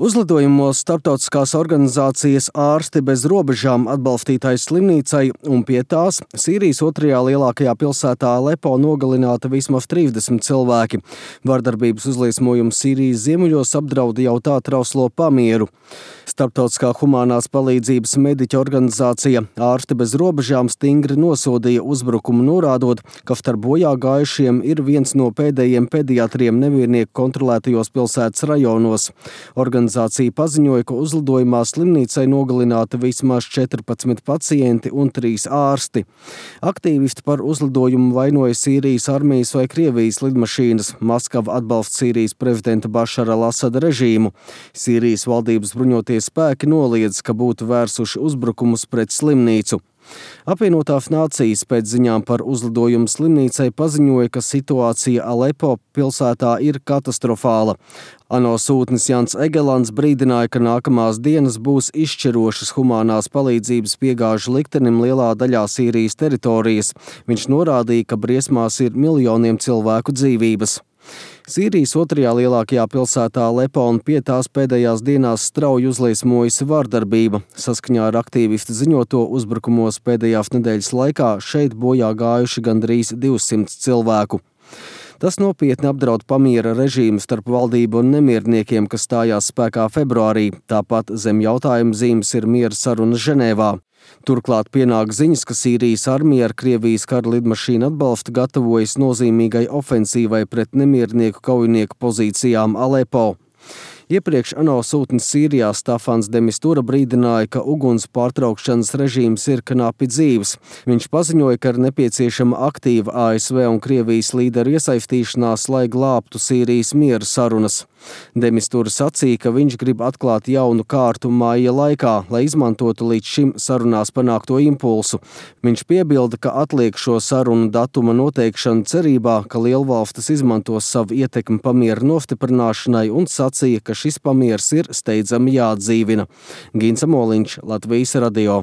Uzlidojumos starptautiskās organizācijas Ārsti bez robežām atbalstītai slimnīcai un pie tās Sīrijas otrajā lielākajā pilsētā Alepo nogalināta vismaz 30 cilvēki. Vardarbības uzliesmojums Sīrijas ziemeļos apdraud jau tā trauslo pamieru. Starptautiskā humānās palīdzības mediķa organizācija Ārsti bez robežām stingri nosodīja uzbrukumu, norādot, ka starp bojā gājušiem ir viens no pēdējiem pediatriem nemiernieku kontrolētajos pilsētas rajonos. Organizācija paziņoja, ka uzlidojumā slimnīcai nogalināti vismaz 14 pacienti un 3 ārsti. Aktīvisti par uzlidojumu vainoja Sīrijas armijas vai Krievijas lidmašīnas. Maskava atbalsta Sīrijas prezidenta Bašara al-Asada režīmu. Sīrijas valdības bruņotie spēki noliedz, ka būtu vērsuši uzbrukumus pret slimnīcu. Apvienotās nācijas pēc ziņām par uzlidojumu slimnīcai paziņoja, ka situācija Alepo pilsētā ir katastrofāla. ANO sūtnis Jans Egelants brīdināja, ka nākamās dienas būs izšķirošas humānās palīdzības piegāžu liktenim lielā daļā Sīrijas teritorijas. Viņš norādīja, ka briesmās ir miljoniem cilvēku dzīvības. Sīrijas otrajā lielākajā pilsētā Alepo un pie tās pēdējās dienās strauji uzliesmojusi vardarbība. Saskaņā ar aktīvistu ziņoto uzbrukumos pēdējās nedēļas laikā šeit bojā gājuši gandrīz 200 cilvēku. Tas nopietni apdraud pamiera režīmu starp valdību un nemierniekiem, kas stājās spēkā februārī. Tāpat zem jautājuma zīmes ir miera sarunas Ženēvā. Turklāt pienāk ziņas, ka Sīrijas armija ar Krievijas kara lidmašīnu atbalstu gatavojas nozīmīgai ofensīvai pret nemiernieku kaujinieku pozīcijām Alepo. Iepriekš ANO sūtnis Sīrijā Stafans de Mistura brīdināja, ka uguns pārtraukšanas režīms ir knapi dzīves. Viņš paziņoja, ka ir nepieciešama aktīva ASV un Krievijas līderu iesaistīšanās, lai glābtu Sīrijas miera sarunas. De Mistura sacīja, ka viņš grib atklāt jaunu kārtu māja laikā, lai izmantotu līdz šim sarunās panākto impulsu. Viņš piebilda, ka atliek šo sarunu datuma noteikšanu cerībā, ka lielvalstis izmantos savu ietekmi pamiera nostiprināšanai un sacīja, ka šis pamiers ir steidzami jāatdzīvina. Gins Amoliņš, Latvijas radio.